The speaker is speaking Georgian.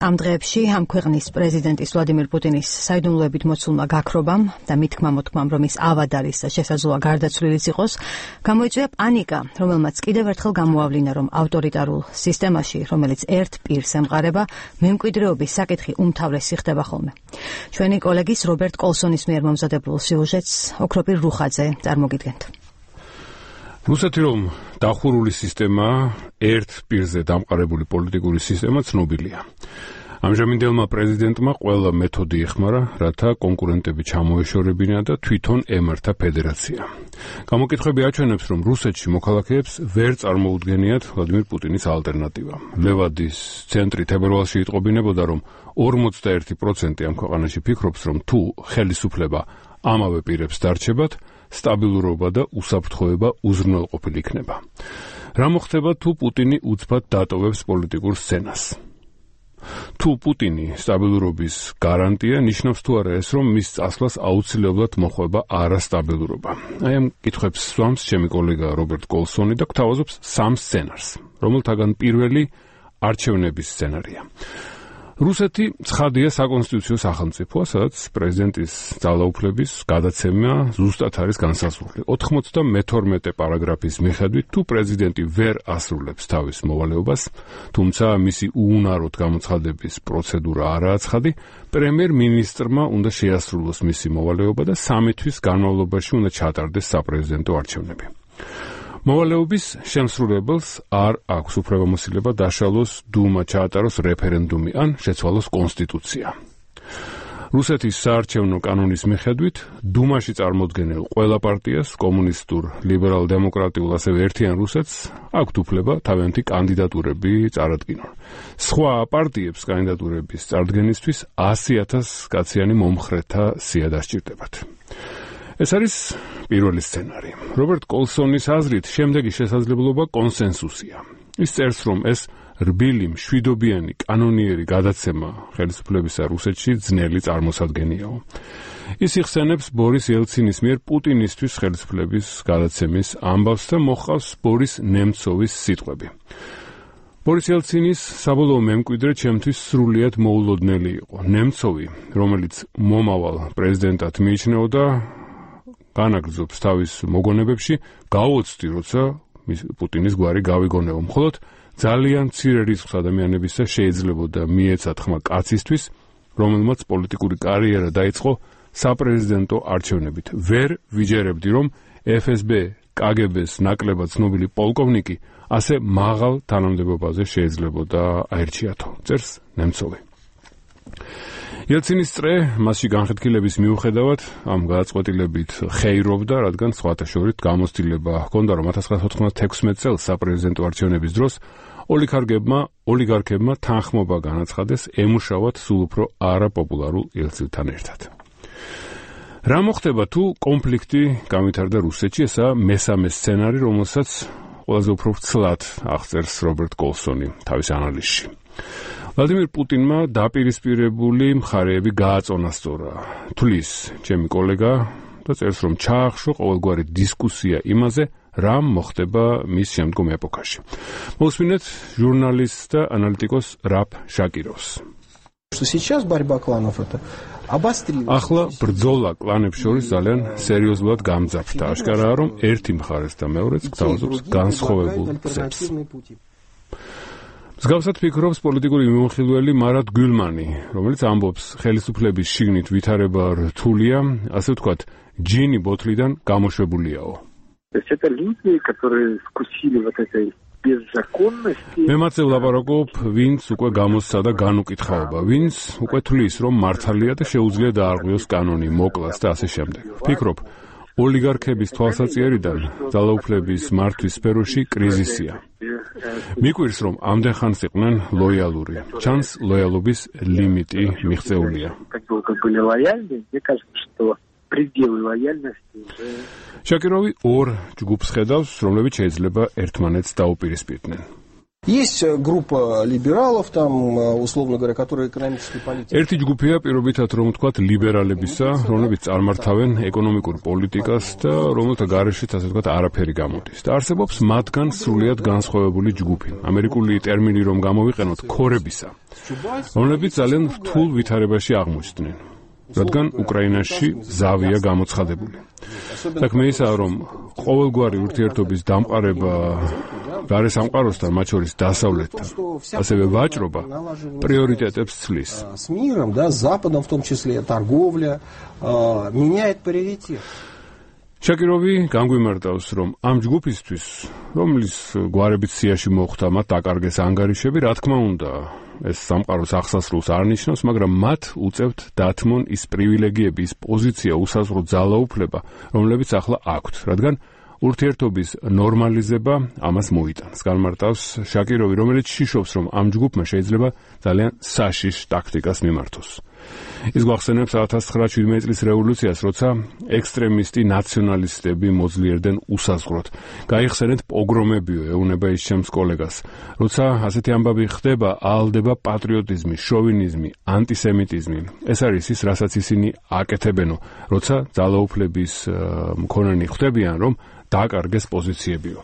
ამ დღეებში ამ ქვეყნის პრეზიდენტის ვლადიმირ პუტინის საიდუმლოებით მოცულმა გაქრობამ და მითქმა-მოთქმამ, რომ ის ავად არის და შესაძლოა გარდაცვლილიც იყოს, გამოიწვია პანიკა, რომელმაც კიდევ ერთხელ გამოავლინა, რომ ავტორიტარულ სისტემაში, რომელიც ერთ პირს ემყარება, მემკვიდრეობის საკითხი უმთავრესი ხდება ხოლმე. ჩვენი კოლეგის რობერტ კოლსონის მიერ მომზადებულ სიუჟეტს ოქროპირ რუხაძე წარმოგიდგენთ. რუსეთი რომ დახურული სისტემაა, ერთ პირზე დამყარებული პოლიტიკური სისტემა ცნობილია. ამჟამინდელმა პრეზიდენტმა ყველა მეთოდი ეხმარა, რათა კონკურენტები ჩამოეშორებინა და თვითონ ემართა ფედერაცია. გამოკითხვები აჩვენებს, რომ რუსეთში მოქალაქეებს ვერ წარმოუდგენიათ ვლადიმირ პუტინის ალტერნატივა. ლევადის ცენტრი თებერვალში იტყობინებოდა, რომ 51% ამ ქვეყანაში ფიქრობს, რომ თუ ხელისუფლება ამავე პირებს დარჩებათ, სტაბილურობა და უსაფრთხოება უზრუნველყოფილი იქნება. რა მოხდება, თუ პუტინი უცბად დატოვებს პოლიტიკურ სცენას? თუ პუტინი სტაბილურობის გარანტია, ნიშნავს თუ არა ეს, რომ მის წასვლას აუცილებლად მოხვება არასტაბილურობა. აი ამ კითხვებს სვამს ჩემი კოლეგა რობერტ კოლსონი და გვთავაზობს სამ სცენარს, რომელთაგან პირველი არჩევნების სცენარია. რუსეთი ცხადია საკონსტიტუციო სახელმწიფოა, სადაც პრეზიდენტის ძალაუფლების გადაცემა ზუსტად არის განსაზღვრული. 92 პარაგრაფის მიხედვით, თუ პრეზიდენტი ვერ ასრულებს თავის მოვალეობას, თუმცა მისი უუნაროდ გამოცხადების პროცედურა არაა ცხადი, პრემიერ-მინისტრმა უნდა შეასრულოს მისი მოვალეობა და 3 თვის განმავლობაში უნდა ჩატარდეს საპრეზიდენტო არჩევნები. მოვალეობის შემსრულებელს არ აქვს უფლებამოსილება დაშალოს დუმა, ჩაატაროს რეფერენდუმი ან შეცვალოს კონსტიტუცია. რუსეთის საარჩევნო კანონის მიხედვით, დუმაში წარმოდგენილ ყველა პარტიას, კომუნისტურ, ლიბერალ-დემოკრატიულ, ასევე ერთიან რუსეთს, აქვთ უფლება თავიანთი კანდიდატურები წარადგინონ. სხვა პარტიებს კანდიდატურების წარდგენისთვის 100,000 კაციანი მომხრეთა სია დასჭირდებათ. ეს არის პირველი სცენარი. რობერტ კოლსონის აზრით, შემდეგი შესაძლებლობა კონსენსუსია. ის წერს, რომ ეს რბილი, მშვიდობიანი, კანონიერი გადაცემა ხელისუფლებისა რუსეთში ძნელი წარმოსადგენიაო. ის იხსენებს ბორის ელცინის მიერ პუტინისთვის ხელისუფლების გადაცემის ამბავს და მოჰყავს ბორის ნემცოვის სიტყვები. ბორის ელცინის საბოლოო მემკვიდრე ჩემთვის სრულიად მოულოდნელი იყო. ნემცოვი, რომელიც მომავალ პრეზიდენტად მიიჩნეოდა, განაგრძობს თავის მოგონებებში, გავოცდი, როცა პუტინის გვარი გავიგონებო. მხოლოდ ძალიან მცირე რისკს ადამიანებისა შეიძლებოდა მიეცათ ხმა კაცისთვის, რომელმაც პოლიტიკური კარიერა დაიწყო საპრეზიდენტო არჩევნებით. ვერ ვიჯერებდი, რომ FSB, KGB-ს ნაკლებად ცნობილი პოლკოვნიკი ასე მაღალ თანამდებობაზე შეიძლებოდა აერჩიათო, წერს ნემცოვი. ელცინის წრე მასში განხეთქილების მიუხედავად ამ გადაწყვეტილებით ხეირობდა, რადგან სხვათა შორის გამოცდილება ჰქონდა, რომ 1996 წელს საპრეზიდენტო არჩევნების დროს ოლიგარქებმა თანხმობა განაცხადეს ემუშავათ სულ უფრო არაპოპულარულ ელცილთან ერთად. რა მოხდება, თუ კონფლიქტი გამვითარდა რუსეთში? ესაა მესამე სცენარი, რომელსაც ყველაზე უფრო ვრცლად აღწერს რობერტ კოლსონი თავის ანალიზში. ვლადიმირ პუტინმა დაპირისპირებული მხარეები გააწონასწორა. თulis ჩემი კოლეგა და წერს, რომ ჩაახშო ყოველგვარი დისკუსია იმაზე, რა მოხდება მის შემდგომ ეპოქაში. მოვსმინეთ ჟურნალისტ და ანალიტიკოს რაფ შაკიროვს. ახლა ბრძოლა კლანებს შორის ძალიან სერიოზულად გამძაფრდა. აშკარაა, რომ ერთი მხარეს და მეორეც გთავაზობს განსხვავებულ გზებს. მსგავსად ფიქრობს პოლიტიკური მიმოხილველი მარად გულმანი, რომელიც ამბობს, ხელისუფლების შიგნით ვითარება რთულია, ასე ვთქვათ, ჯინი ბოთლიდან გამოშვებულიაო. მე მათზე ვლაპარაკობ, ვინც უკვე გამოსცა და განუკითხაობა, ვინც უკვე თვლის, რომ მართალია და შეუძლია დაარღვიოს კანონი, მოკლას და ასე შემდეგ. ფიქრობ, ოლიგარქების თვალსაჩინარიდან ძალაუფლების მართვის სფეროში კრიზისია. მიკვირს, რომ ამდენ ხანს იყვნენ ლოიალური. ჩანს ლოიალობის ლიმიტი მიღწეულია. შაკიროვი ორ ჯგუფს ხედავს, რომლებიც შეიძლება ერთმანეთს დაუპირისპირდნენ. Есть группа либералов, там, условно говоря, которые экономической политикой. ერთი ჯგუფია პირობითად რომ ვთქვათ ლიბერალებისა, რომლებიც წარმართავენ ეკონომიკურ პოლიტიკას და რომელთა გარეშეც ასე ვთქვათ არაფერი გამოდის. და არსებობს მათგან სრულიად განსხვავებული ჯგუფი. ამერიკული ტერმინი რომ გამოვიყენოთ ქორებისა, რომლებიც ძალიან რთულ ვითარებაში აღმოჩნდნენ. რადგან უკრაინაში ზავია გამოცხადებული. საქმე ისაა, რომ ყოველგვარი ურთიერთობის დამყარება გარესამყაროსთან, მათ შორის დასავლეთთან, ასევე ვაჭრობა პრიორიტეტებს ცვლის. С миром, да, с Западом в том числе, торговля меняет приоритет. შაკიროვი განგვიმარტავს, რომ ამ ჯგუფისთვის, რომლის გვარებით სიაში მოხვდა, მათ დაკარგეს ანგარიშები, რა თქმა უნდა, ეს სამყაროს აღსასრულს არ ნიშნავს, მაგრამ მათ უწევთ დათმონ ის პრივილეგიები, ის პოზიცია, უსაზღვრო ძალაუფლება, რომლებიც ახლა აქვთ, რადგან ურთიერთობის ნორმალიზება ამას მოიტანს. განმარტავს შაკიროვი, რომელიც შიშობს, რომ ამ ჯგუფმა შეიძლება ძალიან საშიშ ტაქტიკას მიმართოს. ის გვახსენებს 1917 წლის რევოლუციას, როცა ექსტრემისტი ნაციონალისტები მოძლიერდნენ უსაზღვროდ. გაიხსენეთ პოგრომებიო, ეუბნება ის ჩემს კოლეგას. როცა ასეთი ამბავი ხდება, აალდება პატრიოტიზმი, შოვინიზმი, ანტისემიტიზმი. ეს არის ის, რასაც ისინი აკეთებენო, როცა ძალაუფლების მქონენი ხვდებიან, რომ დააკარგეს პოზიციებიო.